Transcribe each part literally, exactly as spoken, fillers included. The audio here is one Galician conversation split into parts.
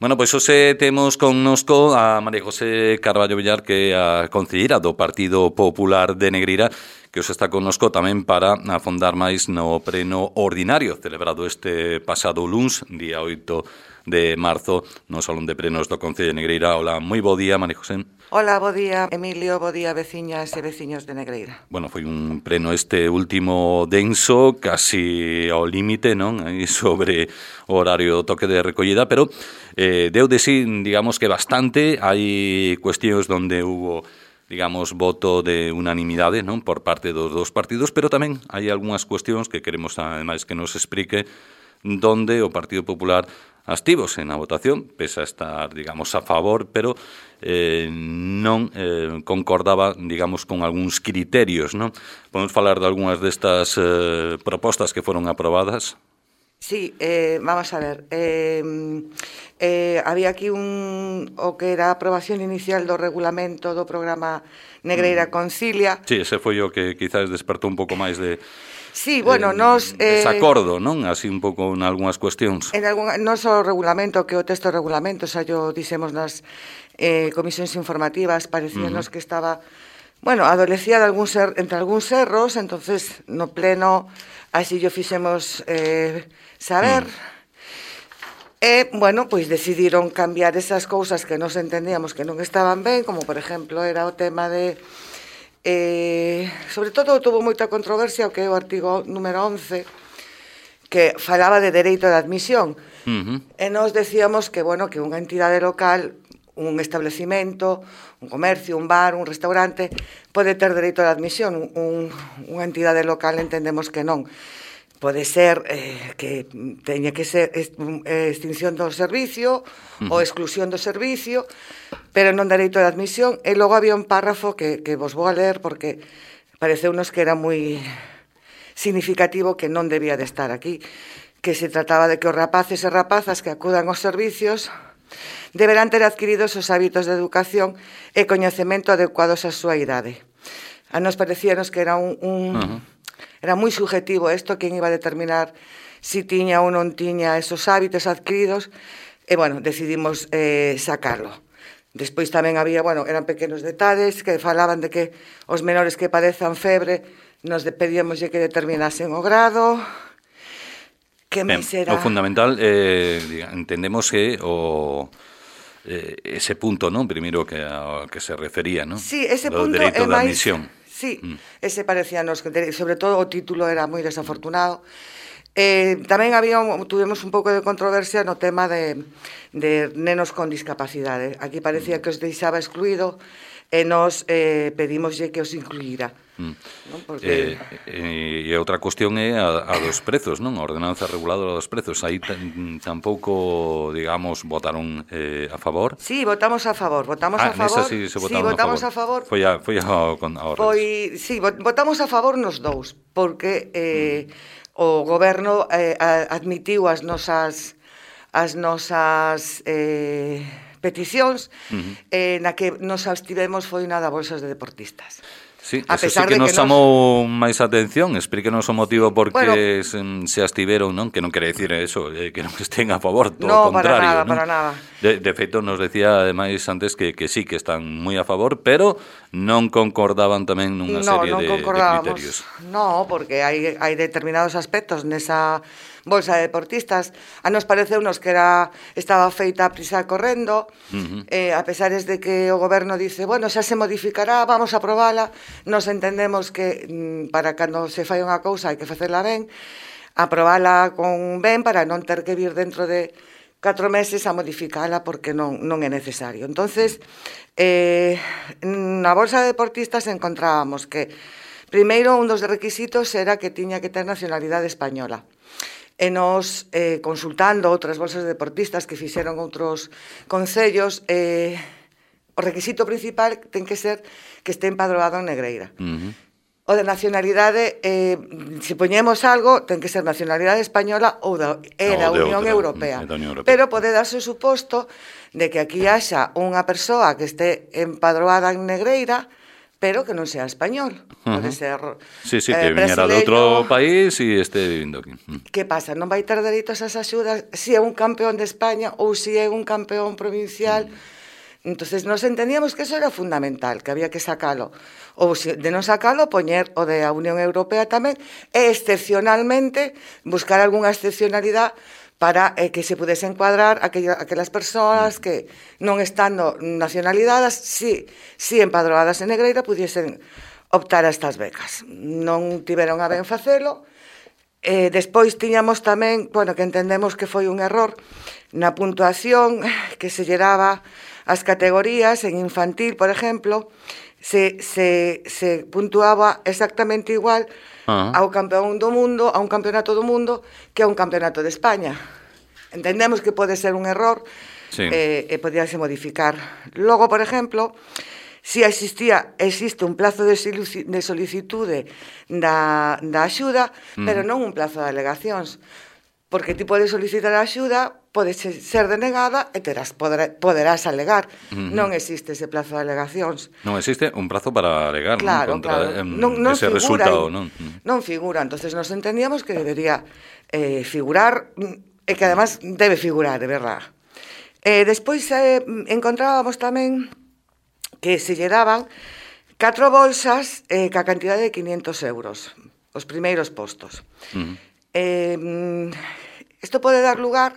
Bueno, pois hoxe temos connosco a María José Carballo Villar, que é a concelleira do Partido Popular de Negreira, que hoxe está connosco tamén para afondar máis no pleno ordinario celebrado este pasado luns, día oito de marzo, no Salón de Plenos do Concello de Negreira. Hola, moi bo día, María José. Hola, bo día, Emilio, bo día, veciñas e veciños de Negreira. Bueno, foi un pleno este último denso, casi ao límite, non? Aí sobre o horario toque de recollida, pero eh, deu de sí, digamos que bastante. Hai cuestións onde hubo, digamos, voto de unanimidade, non? Por parte dos dos partidos, pero tamén hai algunhas cuestións que queremos, ademais, que nos explique donde o Partido Popular abstívose na votación, pese a estar, digamos, a favor, pero eh, non eh, concordaba, digamos, con algúns criterios, non? Podemos falar de algunhas destas eh, propostas que foron aprobadas? Sí, eh, vamos a ver. Eh, eh, había aquí un o que era a aprobación inicial do regulamento do programa Negreira Concilia. Sí, ese foi o que quizás despertou un pouco máis de... Sí, bueno, eh, nos... Eh, desacordo, non? Así un pouco en algunhas cuestións. En algún, non só o regulamento, que o texto do regulamento, xa yo dixemos nas eh, comisións informativas, parecíanos uh-huh. que estaba, bueno, adolecía de algún ser, entre algúns erros, entonces no pleno así yo fixemos eh, saber... Uh-huh. E, bueno, pois decidiron cambiar esas cousas que nos entendíamos que non estaban ben, como, por exemplo, era o tema de... Eh, sobre todo, tuvo moita controversia o que é o artigo número once, que falaba de dereito de admisión. Uh-huh. E nos decíamos que, bueno, que unha entidade local, un establecimento, un comercio, un bar, un restaurante, pode ter dereito de admisión. Un, unha entidade local entendemos que non. Pode ser eh, que teña que ser extinción do servicio uh-huh. ou exclusión do servicio, pero non dereito de admisión. E logo había un párrafo que, que vos vou a ler porque pareceunos que era moi significativo, que non debía de estar aquí, que se trataba de que os rapaces e rapazas que acudan aos servicios deberán ter adquiridos os hábitos de educación e coñecemento adecuados á súa idade. A nos parecíanos que era un... un uh-huh. Era moi subjetivo isto, quen iba a determinar si tiña ou non tiña esos hábitos adquiridos, e, bueno, decidimos eh, sacarlo. Despois tamén había, bueno, eran pequenos detalles que falaban de que os menores que padezan febre nos pedíamos que determinasen o grado. Que ben, será? O fundamental, eh, entendemos que o... Eh, ese punto, non? Primeiro que a que se refería, non? Sí, ese do punto dereito é de máis... admisión. Sí, mm. ese parecíanos, sobre todo o título era moi desafortunado. Eh, tamén había, tuvemos un pouco de controversia no tema de, de nenos con discapacidade. Aquí parecía que os deixaba excluído e nos eh, pedimoslle que os incluíra. Mm. Non? Porque... Eh, e outra cuestión é a, a dos prezos, non? A ordenanza reguladora dos prezos. Aí tampouco, digamos, votaron eh, a favor. Sí, votamos a favor, votamos ah, a favor. Sí, se sí, votamos a favor. Foi a, foi a, a Foi, sí, votamos a favor nos dous, porque eh, mm. o goberno eh, admitiu as nosas as nosas eh, peticións, uh-huh. eh, na que nos abstivemos foi na da bolsas de deportistas. Sí, a eso sí que nos chamou máis atención. Explíquenos o motivo por que bueno, se, se abstiveron, non? Que non quere decir eso, eh, que non estén a favor, todo no, o contrario. Para nada, non? para nada. De, de feito, nos decía, ademais, antes que, que sí, que están moi a favor, pero non concordaban tamén nunha no, serie non de, de criterios. No, porque hai, hai determinados aspectos nesa bolsa de deportistas. A nos pareceunos que era estaba feita a prisa correndo, uh-huh. eh, a pesares de que o goberno dice, bueno, xa se modificará, vamos a aprobala. Nos entendemos que mm, para cando se fai unha cousa hai que facela ben, aprobala con ben para non ter que vir dentro de catro meses a modificala porque non, non é necesario. Entonces, eh, na bolsa de deportistas encontrábamos que primeiro un dos requisitos era que tiña que ter nacionalidade española. E nos, eh, consultando outras bolsas de deportistas que fixeron outros concellos, eh, o requisito principal ten que ser que este empadroado en Negreira. Uh-huh. O de nacionalidade, eh, se poñemos algo, ten que ser nacionalidade española ou da, é da no, Unión, Europea. Unión Europea. Pero pode darse o suposto de que aquí haxa unha persoa que este empadroada en Negreira, pero que non sea español. Uh -huh. Pode ser sí, sí, eh, que viñera de outro país e este vivindo aquí. Que pasa? Non vai ter dereito a esas axudas se é un campeón de España ou se é un campeón provincial. Mm. Entonces, nos entendíamos que eso era fundamental, que había que sacalo. Ou se de non sacalo, poñer o de a Unión Europea tamén, e excepcionalmente buscar algunha excepcionalidade para eh, que se pudese encuadrar aquella, aquelas persoas que non estando nacionalizadas, si, si empadroadas en Negreira, pudiesen optar a estas becas. Non tiveron a ben facelo. Eh, despois tiñamos tamén, bueno, que entendemos que foi un error na puntuación que se lle daba as categorías en infantil, por exemplo, se, se, se puntuaba exactamente igual uh -huh. ao campeón do mundo, a un campeonato do mundo, que a un campeonato de España. Entendemos que pode ser un error, sí. eh, e podíase modificar. Logo, por exemplo, si existía, existe un plazo de, de solicitude da, da axuda, mm. pero non un plazo de alegacións, porque ti podes solicitar a axuda, pode ser denegada e terás, poder, poderás alegar. Mm-hmm. Non existe ese plazo de alegacións. Non existe un prazo para alegar, claro, non? Contra claro. Non, non ese figura, resultado, non? Non figura, entonces nos entendíamos que debería eh, figurar, e que además debe figurar, de verdad. Eh, despois eh, encontrábamos tamén que se lle daban catro bolsas eh, ca cantidade de quinientos euros, os primeiros postos. Uh-huh. eh, isto pode dar lugar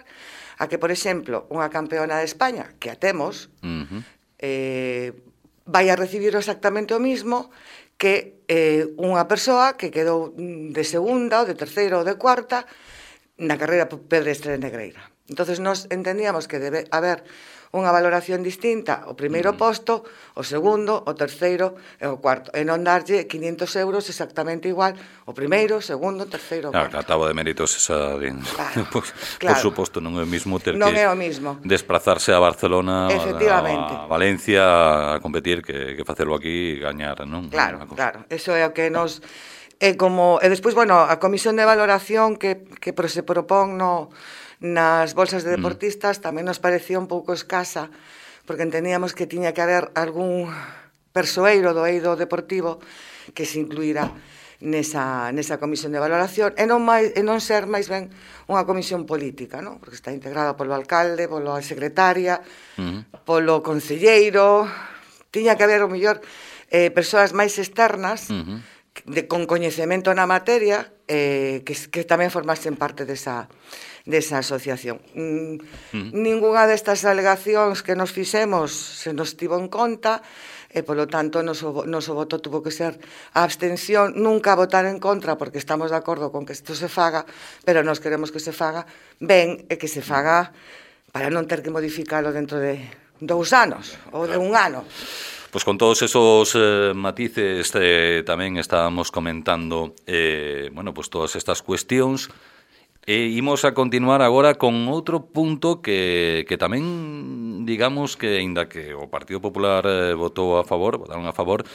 a que, por exemplo, unha campeona de España, que a temos, uh-huh. eh, vai a recibir exactamente o mismo que eh, unha persoa que quedou de segunda, ou de terceira, ou de cuarta, na carreira pedestre de Negreira. Entonces, nos entendíamos que debe haber unha valoración distinta o primeiro mm. posto, o segundo, o terceiro e o cuarto, e non darlle quinientos euros exactamente igual o primeiro, o segundo, o terceiro, o claro, cuarto. A táboa de méritos esa de... claro, por, claro. por suposto, non é o mismo ter non que é o mismo. desplazarse a Barcelona, a Valencia a competir, que, que facelo aquí e gañar, non? Claro, claro, eso é o que nos... E, como, e despois, bueno, a comisión de valoración que, que se propón no... nas bolsas de deportistas tamén nos parecía un pouco escasa, porque entendíamos que tiña que haber algún persoeiro do eido deportivo que se incluíra nesa, nesa comisión de valoración, e non, máis, e non ser máis ben unha comisión política, non? Porque está integrada polo alcalde, pola secretaria, uh-huh. polo concelleiro, tiña que haber, o mellor, eh, persoas máis externas, uh-huh. de, con coñecemento na materia, eh, que, que tamén formasen parte desa... desa asociación. Mm, mm. Ninguna destas alegacións que nos fixemos se nos tivo en conta, e, polo tanto, noso, noso voto tuvo que ser a abstención, nunca a votar en contra, porque estamos de acordo con que isto se faga, pero nos queremos que se faga ben, e que se faga para non ter que modificalo dentro de dous anos, ou de un ano. Pois con todos esos eh, matices eh, tamén estábamos comentando eh, bueno, pues todas estas cuestións. E imos a continuar agora con outro punto que, que tamén, digamos, que aínda que o Partido Popular eh, votou a favor, votaron a favor,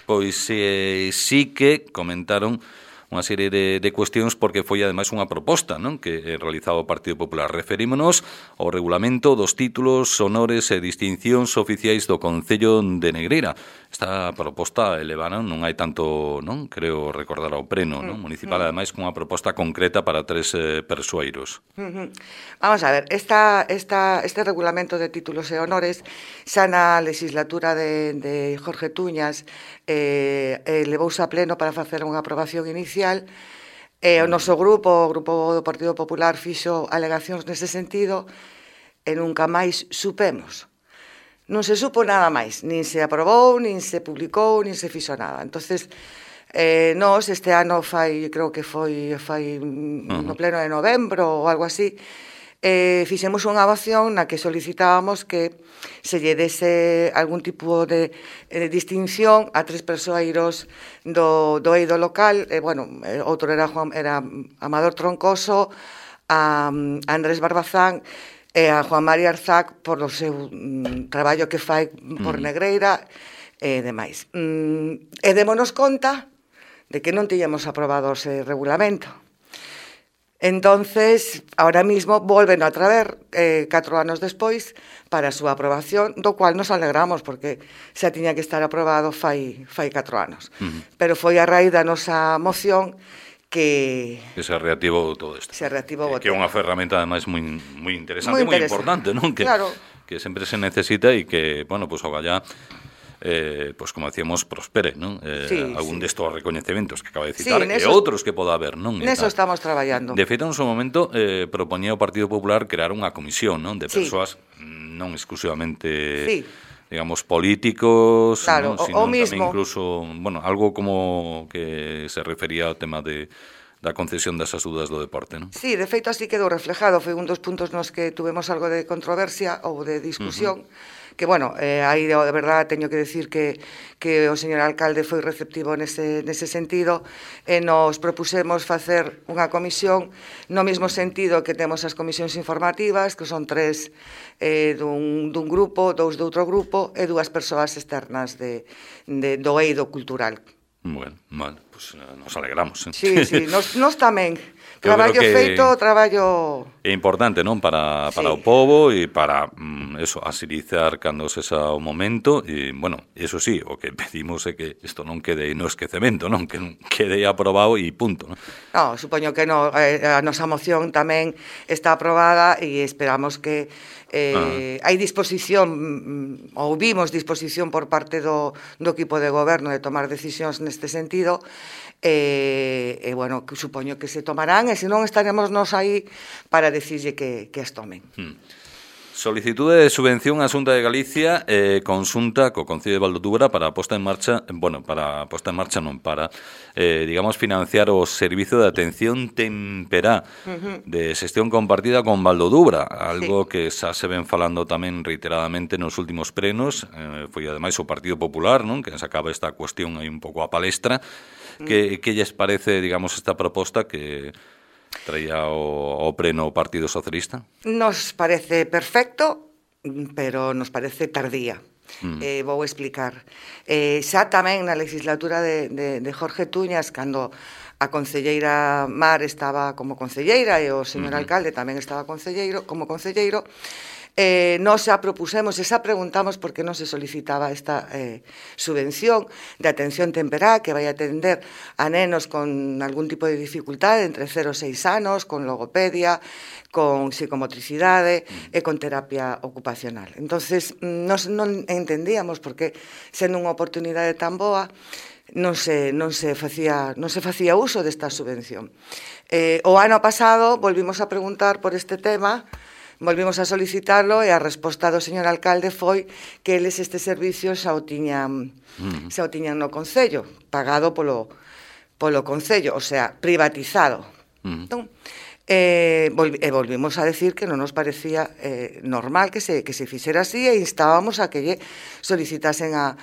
pois eh, sí que comentaron unha serie de, de cuestións, porque foi ademais unha proposta, non, que realizaba o Partido Popular. Referímonos ao regulamento dos títulos, honores e distincións oficiais do Concello de Negreira. Esta proposta elevaron, non hai tanto, non, creo recordar ao pleno, non, municipal, ademais cunha proposta concreta para tres eh, persoeiros. Vamos a ver, esta, esta, este regulamento de títulos e honores xa na legislatura de, de Jorge Tuñas eh, eh, levouse a pleno para facer unha aprobación inicial. E o noso grupo, o Grupo do Partido Popular, fixo alegacións nese sentido e nunca máis supemos. Non se supo nada máis, nin se aprobou, nin se publicou, nin se fixo nada. Entonces, eh, nós este ano fai, creo que foi fai no pleno de novembro ou algo así, eh, fixemos unha moción na que solicitábamos que se lle dese algún tipo de, de distinción a tres persoeiros do, do eido local. Eh, bueno, outro era, Juan, era Amador Troncoso, a, a Andrés Barbazán e a Juan María Arzac por o seu mm, traballo que fai por Negreira e demais. Mm, e démonos conta de que non tiñamos aprobado ese regulamento. Entonces, ahora mismo volven a traer eh, catro anos despois para a súa aprobación, do cual nos alegramos porque xa tiña que estar aprobado fai, fai catro anos. Uh-huh. Pero foi a raíz da nosa moción que... Que se reactivou todo isto. Se reactivou que, que é unha ferramenta, ademais, moi, moi interesante, moi importante, non? Que, claro. Que sempre se necesita e que, bueno, pues, ogallá... Eh, pues como decíamos, prospere, non? Eh, sí, algún sí. destos recoñecementos que acaba de citar, sí, e outros que poda haber, non? Neso estamos traballando. De feito, en seu momento, eh, propoñía o Partido Popular crear unha comisión, non? De persoas sí. non exclusivamente... Sí. digamos, políticos, claro, ¿no? Sino o, o mismo. incluso, bueno, algo como que se refería ao tema de da concesión das axudas do deporte, non? Sí, de feito así quedou reflejado, foi un dos puntos nos que tuvemos algo de controversia ou de discusión, uh-huh. que, bueno, eh, aí de verdade teño que decir que, que o señor alcalde foi receptivo nese, nese sentido e nos propusemos facer unha comisión no mesmo sentido que temos as comisións informativas, que son tres eh, dun, dun grupo, dous de outro grupo e dúas persoas externas de, de, do eido cultural. Bueno, vale, pues nos alegramos. ¿eh? Sí, sí, nos, nos tamén. Traballo feito, traballo... É importante, non? Para, para sí. o povo e para, mm, eso, asilizar cando sexa o momento e, bueno, eso sí, o que pedimos é que isto non quede no esquecemento, non? Que non quede aprobado e punto, non? No, supoño que no, a nosa moción tamén está aprobada e esperamos que eh, ah. hai disposición, ou vimos disposición por parte do, do equipo de goberno de tomar decisións neste sentido e, e bueno, que supoño que se tomarán e se non estaremos nos aí para decirlle que, que as tomen. Hmm. Solicitude de subvención á Xunta de Galicia eh, consulta co Concello de Valdodubra para a posta en marcha, bueno, para a posta en marcha non, para, eh, digamos, financiar o servizo de atención temperá uh-huh. de xestión compartida con Valdodubra, algo sí. que xa se ven falando tamén reiteradamente nos últimos prenos, eh, foi ademais o Partido Popular, non? Que sacaba esta cuestión aí un pouco a palestra. Uh-huh. Que, que lles parece, digamos, esta proposta que traía o, o pleno Partido Socialista? Nos parece perfecto, pero nos parece tardía. Mm. Eh, vou explicar. Eh, xa tamén na legislatura de, de, de Jorge Tuñas, cando a concelleira Mar estaba como concelleira e o señor mm. alcalde tamén estaba concelleiro, como concelleiro, Eh, nos xa propusemos e xa preguntamos por que non se solicitaba esta eh, subvención de atención temperá que vai atender a nenos con algún tipo de dificultade entre cero e seis anos, con logopedia, con psicomotricidade e con terapia ocupacional. Entonces, nos non entendíamos porque sendo unha oportunidade tan boa non se, non se facía non se facía uso desta subvención. Eh, o ano pasado volvimos a preguntar por este tema. Volvimos a solicitarlo e a resposta do señor alcalde foi que eles este servicio xa o tiñan, mm. xa o tiñan no Concello, pagado polo, polo Concello, o sea, privatizado. Mm. Entón, eh, volvi, e volvimos a decir que non nos parecía eh, normal que se, que se fixera así e instábamos a que lle solicitasen a,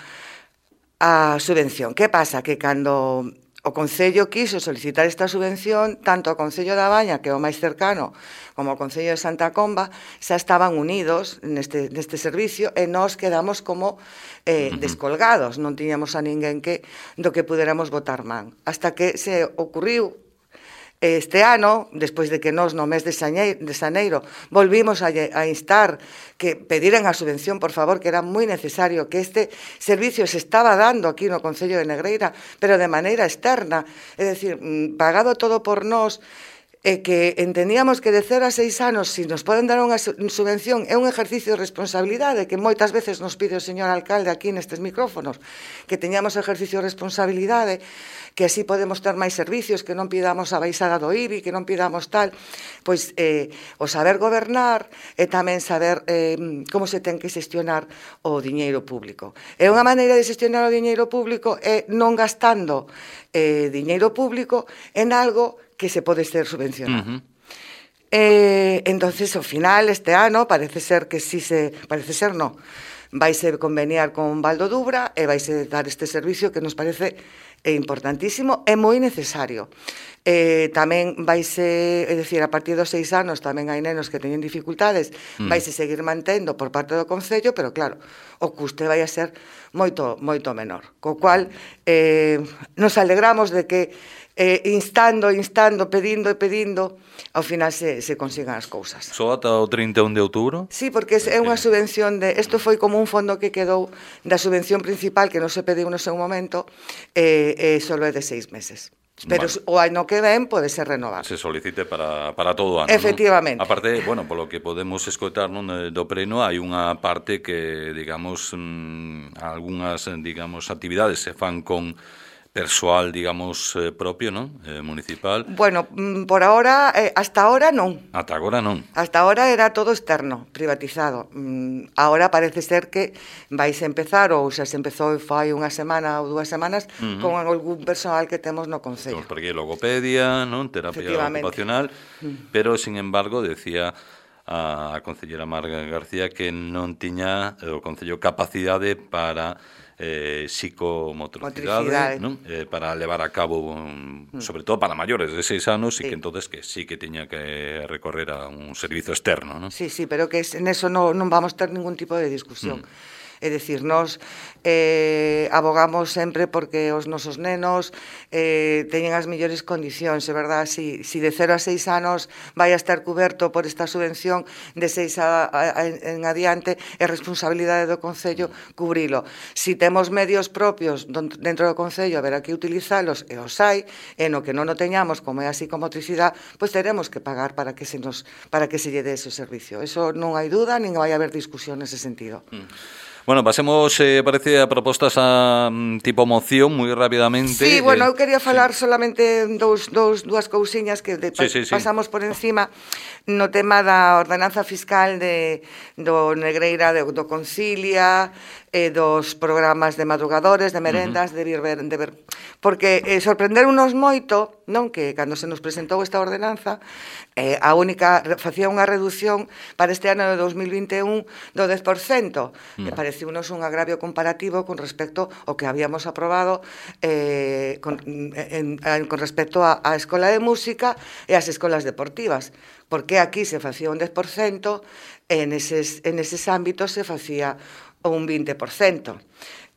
a subvención. Que pasa? Que cando o Concello quiso solicitar esta subvención, tanto o Concello da Baña, que é o máis cercano, como o Concello de Santa Comba, xa estaban unidos neste, neste servicio e nós quedamos como eh, uh-huh. descolgados, non tiñamos a ninguén que do que puderamos botar man. Hasta que se ocurriu este ano, despois de que nós no mes de xaneiro volvimos a, a instar que pediran a subvención, por favor, que era moi necesario, que este servicio se estaba dando aquí no Concello de Negreira, pero de maneira externa, é dicir, pagado todo por nós, e que entendíamos que de cero a seis anos, se nos poden dar unha subvención, é un exercicio de responsabilidade que moitas veces nos pide o señor alcalde aquí nestes micrófonos, que teñamos exercicio de responsabilidade, que así podemos ter máis servicios, que non pidamos a baixada do I B I, que non pidamos tal, pois eh, o saber gobernar e tamén saber eh, como se ten que xestionar o diñeiro público. E unha maneira de xestionar o diñeiro público é non gastando eh, diñeiro público en algo que se pode ser subvencionado. Uh-huh. Eh, entonces, ao final, este ano, parece ser que sí se... Parece ser, no. vaise conveniar con Valdo Dubra e vaise dar este servicio que nos parece importantísimo e moi necesario. Eh, tamén vaise, é dicir, a partir dos seis anos tamén hai nenos que teñen dificultades, mm. vaise seguir mantendo por parte do Concello, pero claro, o custe vai a ser moito, moito menor. Co cual, eh, nos alegramos de que eh, instando, instando, pedindo e pedindo, ao final se, se consigan as cousas. Só ata o trinta e un de outubro? Sí, porque é unha subvención de... Isto foi como un fondo que quedou da subvención principal que non se pediu no seu momento, e eh, eh, solo é de seis meses. Pero vale. O ano que ven pode ser renovado. Se solicite para, para todo o ano. Efectivamente. ¿no? Aparte, bueno, polo que podemos escoitar non, do pleno, hai unha parte que, digamos, mmm, algunhas, digamos, actividades se fan con persoal, digamos, eh, propio, non? Eh, municipal. Bueno, por ahora, eh, hasta ahora non. Ata agora non. Hasta ahora era todo externo, privatizado. Mm, ahora parece ser que vais a empezar, ou xa se empezou fai unha semana ou dúas semanas, uh -huh. con algún personal que temos no Concello. Temos por aquí logopedia, non? Terapia ocupacional, uh-huh. pero, sin embargo, decía a concellera Marga García que non tiña o Concello capacidade para eh, psicomotricidade, non? Eh, para levar a cabo, um, sobre todo para maiores de seis anos, sí. e que entonces que sí que tiña que recorrer a un servizo externo, non? Sí, sí, pero que en eso non, non vamos ter ningún tipo de discusión. Mm. É dicir, nos eh, abogamos sempre porque os nosos nenos eh, teñen as mellores condicións, é verdad? Si, si de cero a seis anos vai a estar coberto por esta subvención, de seis a, a, a, en adiante é responsabilidade do Concello cubrilo. Si temos medios propios dentro do Concello, haberá que utilizalos, e os hai, e no que non o teñamos, como é a psicomotricidade, pois teremos que pagar para que se nos para que se lle dé ese servicio. Eso non hai duda, nin vai haber discusión nese sentido. Mm. Bueno, pasemos, eh, parece, a propostas a um, tipo moción, moi rapidamente. Sí, bueno, eh, eu quería falar sí. solamente dous, dous, dúas cousiñas que de, sí, sí, sí. pasamos por encima no tema da ordenanza fiscal de, do Negreira, de, do Concilia, e dos programas de madrugadores, de merendas, uh -huh. de vir ver, de ver, porque eh, sorprenderunos moito, non, que cando se nos presentou esta ordenanza, eh, a única facía unha reducción para este ano de dos mil vinte e un do dez por cento. Uh -huh. E pareciunos un agravio comparativo con respecto ao que habíamos aprobado eh, con, en, en, con respecto á Escola de Música e ás escolas deportivas, porque aquí se facía un dez por cento e neses, en eses ámbitos se facía un vinte por cento.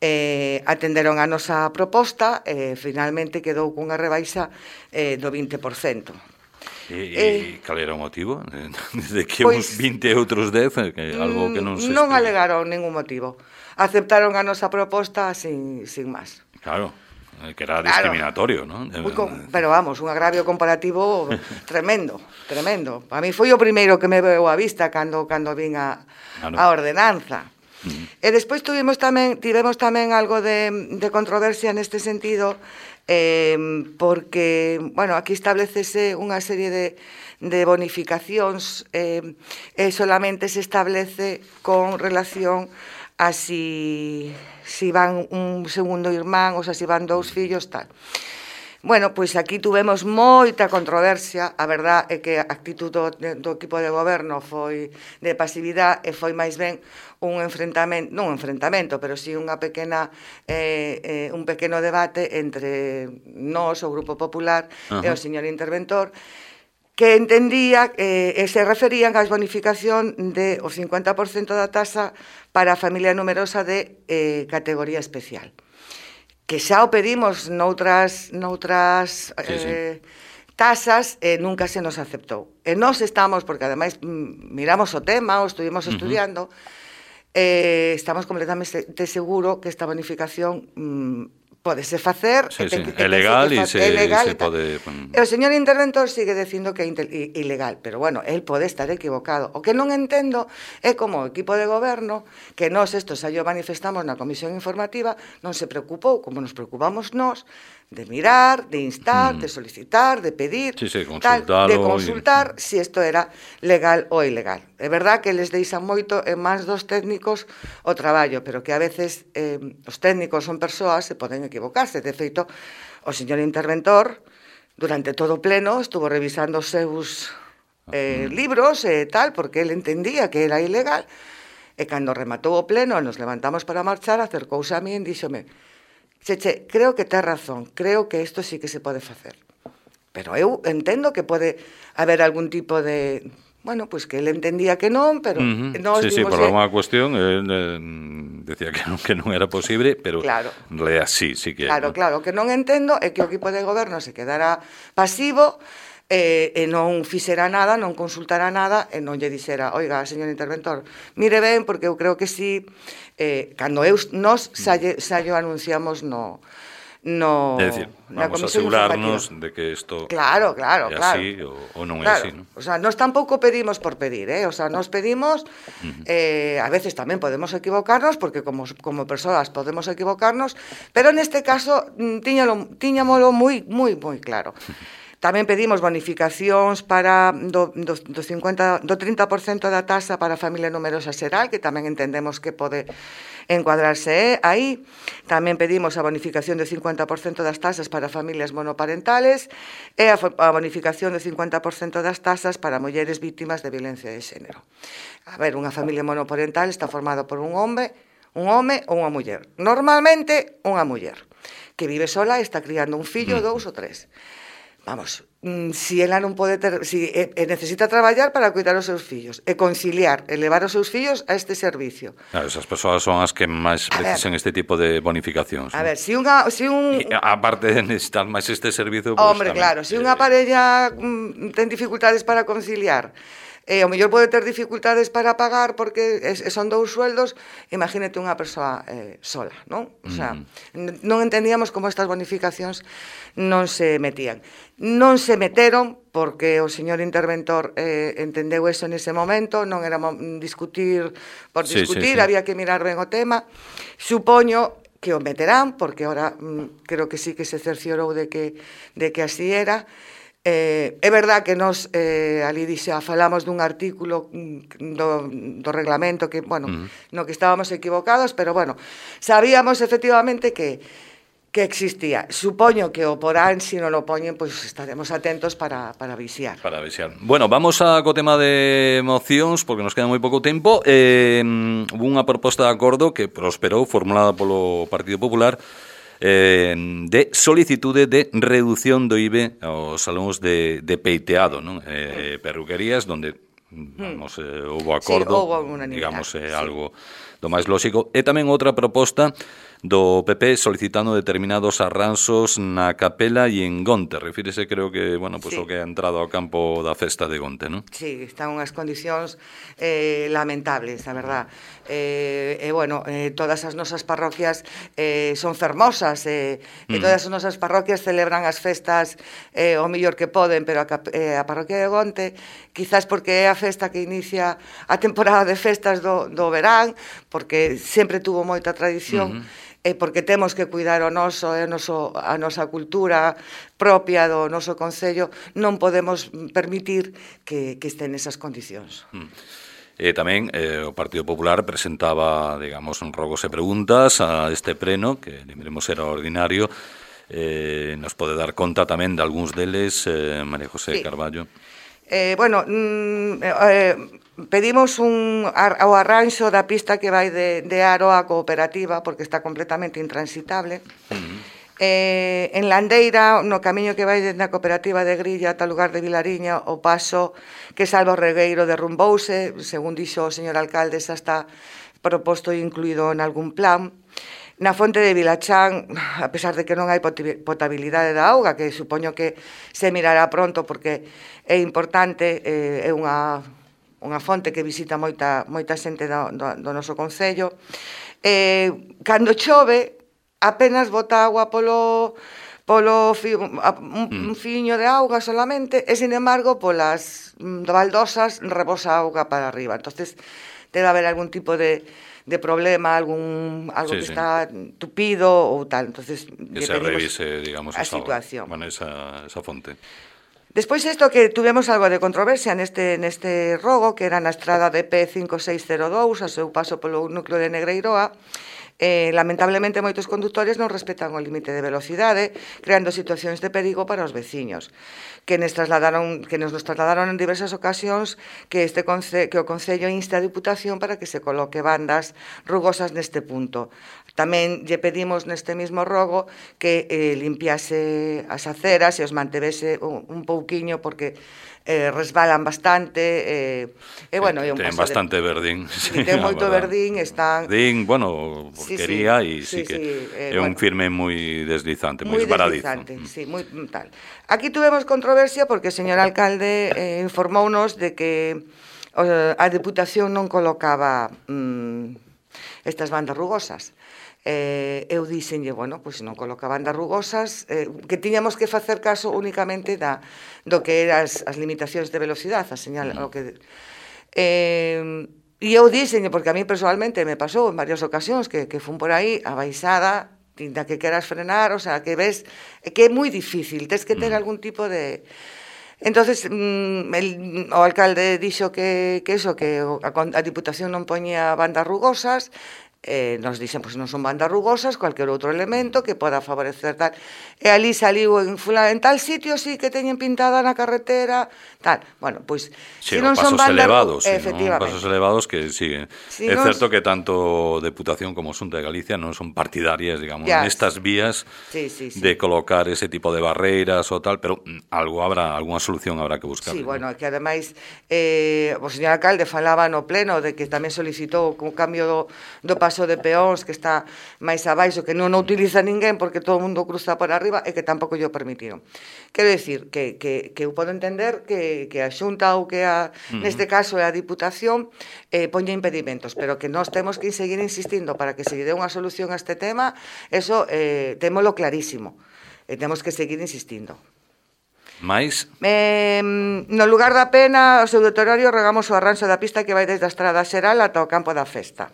Eh, atenderon a nosa proposta e eh, finalmente quedou cunha rebaixa eh, do vinte por cento. E, eh, cal era o motivo? De que pois, uns vinte e outros dez? Que algo que non se non explica. Alegaron ningún motivo. Aceptaron a nosa proposta sin, sin máis. Claro, que era discriminatorio, claro. ¿no? Pero vamos, un agravio comparativo tremendo, tremendo. A mí foi o primeiro que me veu a vista cando, cando vin a, claro. a ordenanza. Uh-huh. E despois tuvimos tamén, tivemos tamén algo de, de controversia neste sentido, eh, porque, bueno, aquí establecese unha serie de, de bonificacións eh, e solamente se establece con relación a si, si van un segundo irmán, ou sea, si van dous fillos, tal. Bueno, pois aquí tuvemos moita controversia, a verdad é que a actitud do, do equipo de goberno foi de pasividade e foi máis ben un enfrentamento, non un enfrentamento, pero sí unha pequena eh, eh, un pequeno debate entre nós, o Grupo Popular, uh-huh. e o señor interventor, que entendía eh, e se referían ás bonificación de o cincuenta por cento da tasa para a familia numerosa de eh, categoría especial, que xa o pedimos noutras, noutras sí, eh, sí. tasas e nunca se nos aceptou. E nós estamos, porque ademais miramos o tema, o estuvimos estudiando, uh-huh. eh, estamos completamente seguro que esta bonificación mm, podese facer, sí, sí. é legal e se, se pode... E o señor interventor sigue dicindo que é ilegal, pero bueno, el pode estar equivocado. O que non entendo é como o equipo de goberno, que nós isto xa yo manifestamos na comisión informativa, non se preocupou, como nos preocupamos nós, de mirar, de instar, mm. de solicitar, de pedir, sí, sí, tal, de consultar y... si isto era legal ou ilegal. É verdad que les deixan moito en máis dos técnicos o traballo, pero que a veces eh, os técnicos son persoas e poden equivocarse. De feito, o señor interventor, durante todo o pleno, estuvo revisando os seus eh, libros e tal, porque ele entendía que era ilegal, E cando rematou o pleno, nos levantamos para marchar, acercouse a mí e díxome: Cheche, creo que tes razón, creo que isto sí que se pode facer. Pero eu entendo que pode haber algún tipo de... Bueno, pois pues que ele entendía que non, pero... Uh -huh. Nos sí, sí, por que... alguna cuestión, él eh, decía que non, que non era posible, pero claro. en realidad sí, sí que... Claro, ¿no? claro, o que non entendo é que o equipo de goberno se quedara pasivo e, e non fixera nada, non consultara nada e non lle dixera: oiga, señor interventor, mire ben, porque eu creo que sí, eh, cando eu, nos xa, xa yo anunciamos no... No, é dicir, vamos a asegurarnos de que isto claro, claro, é claro. así ou, ou non claro. é así, ¿no? O sea, nos tampouco pedimos por pedir, eh? O sea, nos pedimos, uh -huh. eh, a veces tamén podemos equivocarnos, porque como, como persoas podemos equivocarnos, pero neste caso tiñalo, tiñamolo moi, moi, moi claro. Tamén pedimos bonificacións para do, do, do, cincuenta, do trinta por cento da tasa para a familia numerosa xeral, que tamén entendemos que pode encuadrarse aí. Tamén pedimos a bonificación de cincuenta por cento das tasas para familias monoparentales e a, a bonificación de cincuenta por cento das tasas para mulleres víctimas de violencia de xénero. A ver, unha familia monoparental está formada por un home, un home ou unha muller. Normalmente, unha muller que vive sola e está criando un fillo, dous ou tres. Vamos, si ela non pode ter, si e, e necesita traballar para cuidar os seus fillos e conciliar, elevar os seus fillos a este servicio. Claro, esas persoas son as que máis precisan este tipo de bonificacións. A ver, si unha si un e, aparte de necesitar máis este servizo, pues, hombre, tamén, claro, se si unha parella mm, ten dificultades para conciliar, e ao mellor pode ter dificultades para pagar porque es, son dous sueldos, imagínate unha persoa eh, sola, non? O sea, mm. non entendíamos como estas bonificacións non se metían. Non se meteron porque o señor interventor eh, entendeu eso nese momento, non era discutir por discutir, sí, sí, sí. Había que mirar ben o tema. Supoño que o meterán, porque ahora mm, creo que sí que se cerciorou de que, de que así era. Eh, é verdad que nos eh, ali dixa, falamos dun artículo do, do reglamento que, bueno, uh -huh. no que estábamos equivocados, pero bueno, sabíamos efectivamente que que existía. Supoño que o porán, se si non o poñen, pois pues estaremos atentos para, para vixiar. Para vixiar. Bueno, vamos a co tema de mocións, porque nos queda moi pouco tempo. Eh, unha proposta de acordo que prosperou, formulada polo Partido Popular, Eh, de solicitude de reducción do I V A aos salóns de, de peiteado, non? Eh, perruquerías donde vamos, eh, houve acordo, sí, houve digamos, eh, sí. Algo do máis lóxico. E tamén outra proposta do P P solicitando determinados arranxos na Capela e en Gonte. Refírese, creo que, bueno, pues, sí. O que ha entrado ao campo da festa de Gonte, non? Sí, están unhas condicións eh, lamentables, a verdad. E, eh, eh, bueno, eh, todas as nosas parroquias eh, son fermosas, eh, mm. e todas as nosas parroquias celebran as festas eh, o mellor que poden, pero a, eh, a parroquia de Gonte, quizás porque é a festa que inicia a temporada de festas do, do verán, porque sempre tuvo moita tradición, mm-hmm. e porque temos que cuidar o noso, e o noso, a nosa cultura propia do noso concello, non podemos permitir que, que estén nesas condicións. Mm. E tamén eh, o Partido Popular presentaba, digamos, rogos e preguntas a este pleno, que lembremos era ordinario. Eh, nos pode dar conta tamén de algúns deles, eh, María José sí. Carballo. Eh, bueno, mm, eh, pedimos un ar, o arranxo da pista que vai de, de Aro á cooperativa, porque está completamente intransitable. Uh-huh. eh, en Landeira, no camiño que vai dende a cooperativa de Grilla ata o lugar de Vilariña, o paso que salva o regueiro derrumbouse, según dixo o señor alcalde, xa está proposto e incluído en algún plan. Na fonte de Vilachán, a pesar de que non hai potabilidade da auga, que supoño que se mirará pronto porque é importante, é unha, unha fonte que visita moita, moita xente do, do, do noso concello. Eh, cando chove, apenas bota agua polo, polo fi, un, un fiño de auga solamente, e, sin embargo, polas baldosas rebosa auga para arriba. Entonces, debe haber algún tipo de de problema, algún algo sí, que sí. está tupido ou tal. Entonces, que se revise, digamos, a esa situación. Bueno, esa, esa fonte. Despois isto que tuvemos algo de controversia neste neste rogo, que era na estrada de P cinco seis cero dous, a seu paso polo núcleo de Negreiroa, Eh, lamentablemente, moitos condutores non respetan o límite de velocidade, creando situacións de perigo para os veciños, que nos trasladaron, que nos, nos trasladaron en diversas ocasións que, este conce, que o Concello insta a Diputación para que se coloque bandas rugosas neste punto. Tamén lle pedimos neste mismo rogo que eh, limpiase as aceras e os mantevese un, un pouquiño porque eh, resbalan bastante e, eh, eh, bueno, é un ten paso bastante de... verdín, sí, ten moito verdín, están verdín, bueno, porquería e sí, sí, sí, sí que sí, eh, é un bueno, firme moi deslizante, moi esbaradizo. Deslizante, sí, moi tal. Aquí tuvemos controversia porque o señor alcalde eh, informounos de que eh, a Deputación non colocaba mm, estas bandas rugosas. Eh, eu dixenlle, bueno, pois non coloca bandas rugosas, eh, que tiñamos que facer caso únicamente da, do que eran as, as limitacións de velocidade, a señal, o que... Eh, e eu dixenlle, porque a mí personalmente me pasou en varias ocasións que, que fun por aí a baixada, tinta que queras frenar, o sea, que ves que é moi difícil, tens que ter algún tipo de... Entonces, mm, el, o alcalde dixo que, que eso, que a, a Diputación non poñía bandas rugosas, eh, nos dixen, pois non son bandas rugosas, cualquier outro elemento que poda favorecer tal. E ali saliu en, en tal sitio, sí, que teñen pintada na carretera, tal. Bueno, pois, sí, si non son bandas elevados, sí, ¿no? Pasos elevados que siguen. Sí, é non... certo que tanto Deputación como Xunta de Galicia non son partidarias, digamos, ya, nestas vías sí, sí, sí. de colocar ese tipo de barreiras ou tal, pero algo habrá, algunha solución habrá que buscar. Sí, bueno, que ademais eh, o señor alcalde falaba no pleno de que tamén solicitou o cambio do, do paso de peóns que está máis abaixo, que non o utiliza ninguén porque todo o mundo cruza por arriba e que tampouco yo permitiron. Quero dicir que, que, que eu podo entender que, que a Xunta ou que a, uh-huh. neste caso é a Diputación eh, poña impedimentos, pero que nós temos que seguir insistindo para que se lle dé unha solución a este tema, eso eh, témolo clarísimo e temos que seguir insistindo. Mais? Eh, no lugar da Pena, o seu deteriorio, regamos o arranxo da pista que vai desde a Estrada Xeral ata o campo da festa.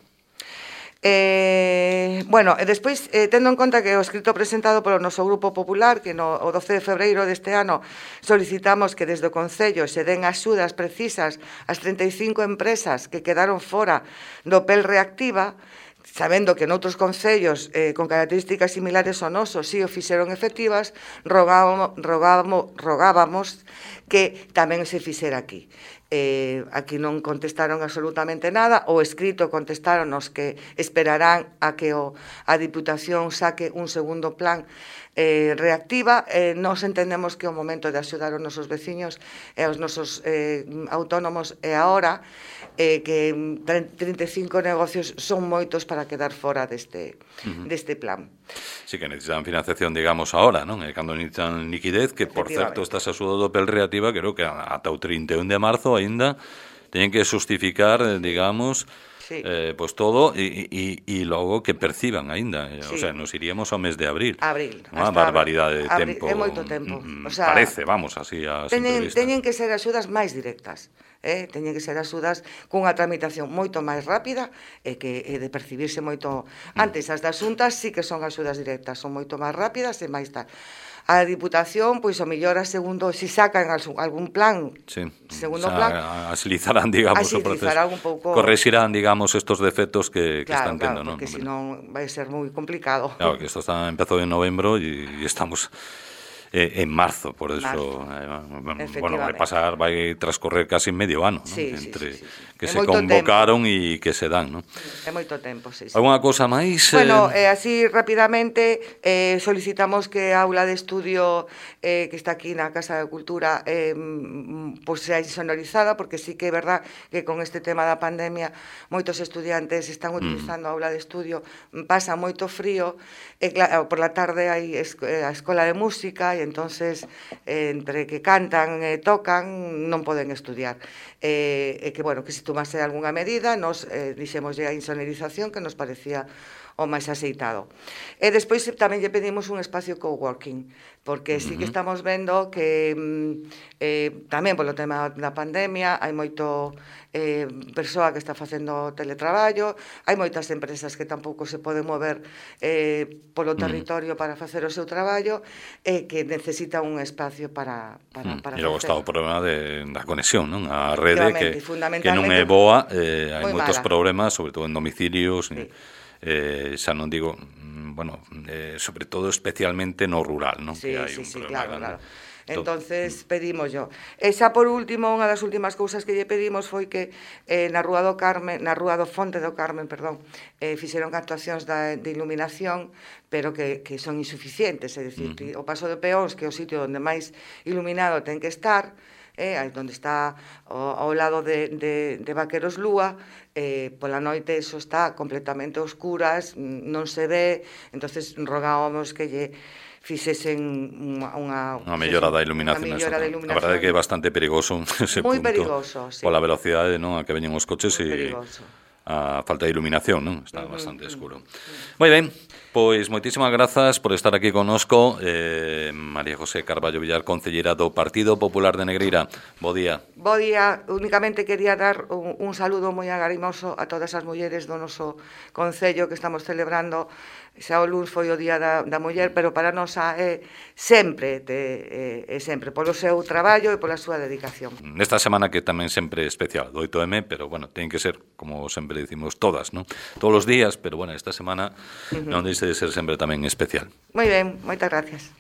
Eh, bueno, e despois, eh, tendo en conta que o escrito presentado polo noso Grupo Popular, que no, o doce de febreiro deste ano solicitamos que desde o Concello se den axudas precisas ás trinta e cinco empresas que quedaron fora do P E L Reactiva, sabendo que noutros concellos eh, con características similares ao noso si o fixeron efectivas, rogábamos, rogábamos, rogábamos que tamén se fixera aquí. Eh, aquí non contestaron absolutamente nada, o escrito contestaronos que esperarán a que o, a Diputación saque un segundo plan eh, reactiva. Eh, nos entendemos que o momento de axudar os nosos veciños e os nosos eh, autónomos é agora, eh, que trinta e cinco negocios son moitos para quedar fora deste, uh-huh. deste plan. Sí, que necesitan financiación, digamos, ahora, non? E cando necesitan liquidez, que, por certo, estas axudas do P E L Reactiva, creo que ata o trinta e un de marzo aínda teñen que justificar, digamos, sí. eh, pues todo e, e, e logo que perciban aínda. Sí. O sea, nos iríamos ao mes de abril. Abril. Unha barbaridade de abril, tempo. É moito tempo. O sea, parece, vamos, así a teñen, teñen que ser axudas máis directas. Eh, teñen que ser axudas cunha tramitación moito máis rápida e que e de percibirse moito antes. As das xuntas sí que son axudas directas, son moito máis rápidas e máis tal. A Diputación, pois o mellor a segundo, se si sacan algún plan, sí. segundo o sea, plan, agilizarán, digamos, o proceso. Un pouco... Correxirán, digamos, estos defectos que, que claro, están tendo, claro, non? Porque senón vai ser moi complicado. Claro, que isto está, empezou en novembro e estamos... Eh, en marzo, por eso marzo. Eh, bueno, vai pasar, vai transcorrer casi medio ano, ¿no? Sí, entre sí, sí, sí. que é se convocaron e que se dan, ¿no? É moito tempo, sí, sí. Alguna cousa máis? Bueno, eh... eh, así rapidamente eh, solicitamos que a aula de estudio eh, que está aquí na Casa de Cultura eh, pues sea insonorizada, porque sí que é verdad que con este tema da pandemia moitos estudiantes están utilizando mm. a aula de estudio, pasa moito frío, e claro, por la tarde hai a escola de música e entonces eh, entre que cantan e eh, tocan non poden estudiar. E eh, que, bueno, que se tomase algunha medida, nos eh, dixemoslle a insonorización que nos parecía o máis aceitado. E despois tamén lle pedimos un espacio coworking, porque sí que estamos vendo que eh, tamén polo tema da pandemia hai moito eh, persoa que está facendo teletraballo, hai moitas empresas que tampouco se poden mover eh, polo territorio para facer o seu traballo e que necesita un espacio para, para, para e logo facer. está o problema de, da conexión, non? A rede que, que non fundamentalmente é boa, eh, hai moitos mala. problemas, sobre todo en domicilios, sí. eh, xa non digo, bueno, eh, sobre todo especialmente no rural, non? Sí, Que hai sí, un sí, problema claro, grande. claro. Entonces pedimos yo. E xa por último, unha das últimas cousas que lle pedimos foi que eh, na Rúa do Carmen, na Rúa do Fonte do Carmen, perdón, eh, fixeron actuacións da, de iluminación, pero que, que son insuficientes, é dicir, uh -huh. o paso de peóns, que é o sitio onde máis iluminado ten que estar, eh, onde está ao, ao lado de, de, de Vaqueros Lúa, eh, pola noite eso está completamente oscuras, non se ve, entonces rogábamos que lle fixesen unha, unha, unha mellora da iluminación. Unha mellora da iluminación. A verdade é que é bastante perigoso ese Moi punto. perigoso, sí. Pola velocidade, non, a que veñen os coches e perigoso. A falta de iluminación, non? Está uh -huh, bastante escuro. Uh -huh. Moi ben, pois moitísimas grazas por estar aquí connosco, eh, María José Carballo Villar, concelleira do Partido Popular de Negreira. Bo día. Bo día. Únicamente quería dar un, un saludo moi agarimoso a todas as mulleres do noso concello que estamos celebrando. Xa o luns foi o Día da, da Muller, pero para nós é sempre, é, é sempre, polo seu traballo e pola súa dedicación. Nesta semana que tamén sempre é especial, do oito eme, pero, bueno, ten que ser, como sempre dicimos, todas, non? Todos os días, pero, bueno, esta semana uh -huh. non deixe de ser sempre tamén especial. Moi ben, moitas gracias.